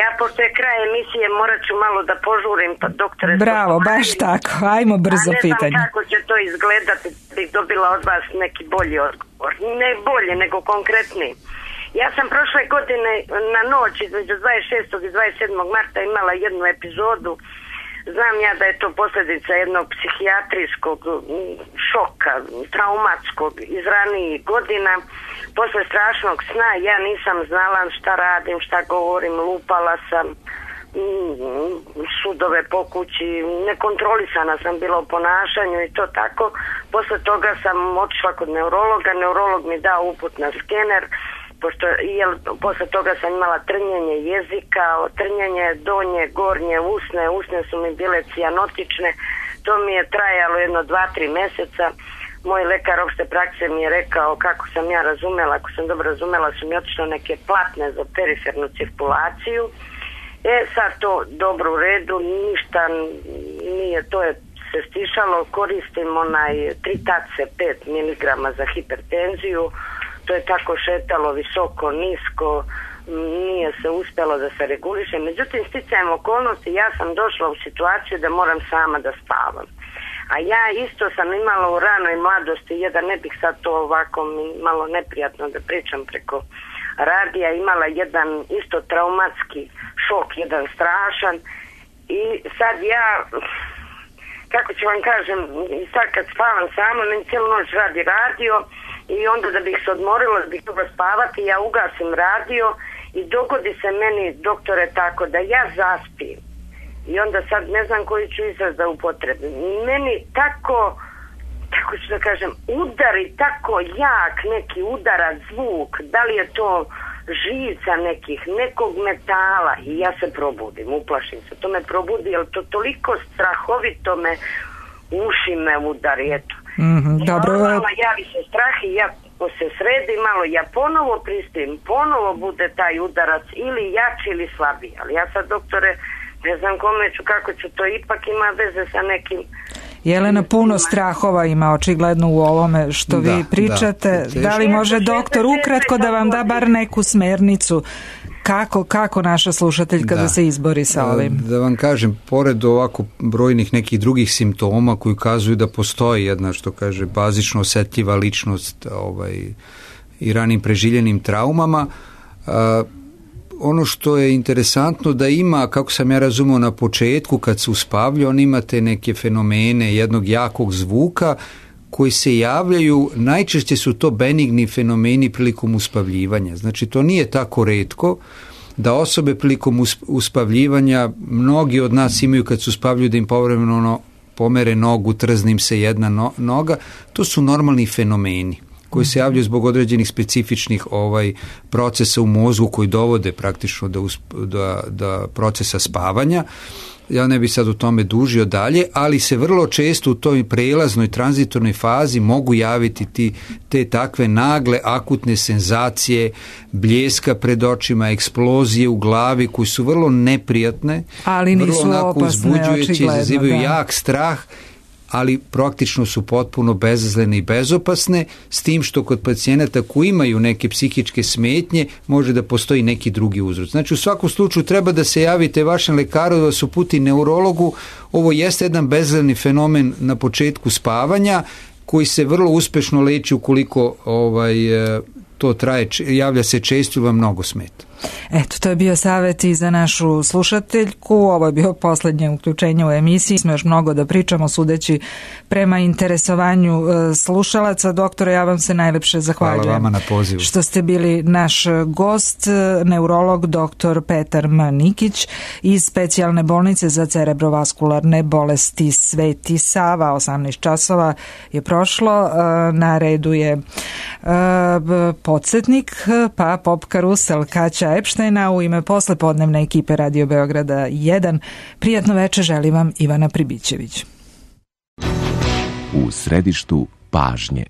Ja, pošto je kraj emisije, morat ću malo da požurim, pa doktore... Bravo, baš tako, ajmo brzo pitanje. A ne znam kako će to izgledati, bih dobila od vas neki bolji odgovor. Ne bolje, nego konkretniji. Ja sam prošle godine na noć između dvadeset šestog i dvadeset sedmog marta imala jednu epizodu. Znam ja da je to posljedica jednog psihijatrijskog šoka, traumatskog iz ranijih godina. Posle strašnog sna ja nisam znala šta radim, šta govorim, lupala sam sudove po kući, nekontrolisana sam bila u ponašanju i to tako. Posle toga sam otišla kod neurologa, neurolog mi dao uput na skener, pošto jel, posle toga sam imala trnjenje jezika, trnjenje donje, gornje usne, usne su mi bile cijanotične, to mi je trajalo jedno dva, tri meseca. Moj lekar opšte prakse mi je rekao, kako sam ja razumela, ako sam dobro razumela, su mi otišle neke platne za perifernu cirkulaciju. E, sad to dobro u redu, ništa nije, to je se stišalo, koristim onaj tritace pet miligrama za hipertenziju, to je tako šetalo visoko, nisko, nije se uspjelo da se reguliše. Međutim, sticajem okolnosti, ja sam došla u situaciju da moram sama da spavam. A ja isto sam imala u ranoj mladosti, jedan, ne bih sad to ovako malo neprijatno da pričam preko radija, imala jedan isto traumatski šok, jedan strašan, I sad ja, kako ću vam kažem, sad kad spavam sama, meni cijelu noć radi radio i onda da bih se odmorila, da bih mogla spavati, ja ugasim radio i dogodi se meni, doktore, tako da ja zaspim. I onda sad ne znam koji ću izraz da upotrebim. Meni tako, tako ću da kažem, udari tako jak neki udara zvuk, da li je to žica nekih, nekog metala i ja se probudim, uplašim se. To me probudi, jer to toliko strahovito me, uši me udari, eto. Mm-hmm, dobro. Malo javi se strah i ja se sredi malo, ja ponovo prispijem, ponovo bude taj udarac ili jači ili slabiji. Ali ja sad, doktore, ne znam kome ću, kako ću, to ipak ima veze sa nekim... Jelena, puno strahova ima očigledno u ovome što da, vi pričate. Da, da li može doktor ukratko da vam da bar neku smernicu kako, kako naša slušateljka da. da se izbori sa ovim? Da vam kažem, pored ovako brojnih nekih drugih simptoma koji ukazuju da postoji jedna, što kaže, bazično osetljiva ličnost ovaj, i ranim preživljenim traumama, a, ono što je interesantno da ima, kako sam ja razumio na početku kad se uspavlja, on imate neke fenomene jednog jakog zvuka koji se javljaju, najčešće su to benigni fenomeni prilikom uspavljivanja. Znači to nije tako retko da osobe prilikom uspavljivanja, mnogi od nas imaju kad se uspavljuju da im povremeno ono, pomere nogu, trznim se jedna no, noga, to su normalni fenomeni koji se javljaju zbog određenih specifičnih ovaj procesa u mozgu koji dovode praktično do, do, do procesa spavanja. Ja ne bih sad u tome dužio dalje, ali se vrlo često u toj prelaznoj tranzitornoj fazi mogu javiti ti, te takve nagle akutne senzacije, bljeska pred očima, eksplozije u glavi koji su vrlo neprijatne, ali nisu vrlo onako uzbuđujući, izazivaju da. jak strah, ali praktično su potpuno bezazlene i bezopasne, s tim što kod pacijenata koji imaju neke psihičke smetnje može da postoji neki drugi uzrok. Znači u svakom slučaju treba da se javite vašem lekaru, da vas uputi neurologu. Ovo jeste jedan bezazleni fenomen na početku spavanja koji se vrlo uspešno leči ukoliko ovaj, to traje, javlja se često ili vam mnogo smeta. Eto, to je bio savjet i za našu slušateljku. Ovo je bio posljednje uključenje u emisiji. Smo još mnogo da pričamo, sudeći prema interesovanju slušalaca. Doktore, ja vam se najlepše zahvaljujem. Hvala vama na pozivu. Što ste bili naš gost, neurolog doktor Petar M. Nikić iz specijalne bolnice za cerebrovaskularne bolesti Sveti Sava. osamnaest časova je prošlo. Na redu je podsjetnik, pa pop karusel Kaća Epštajna u ime poslepodnevne ekipe Radio Beograda jedan. Prijatno veče želi vam Ivana Pribićević. U središtu pažnje.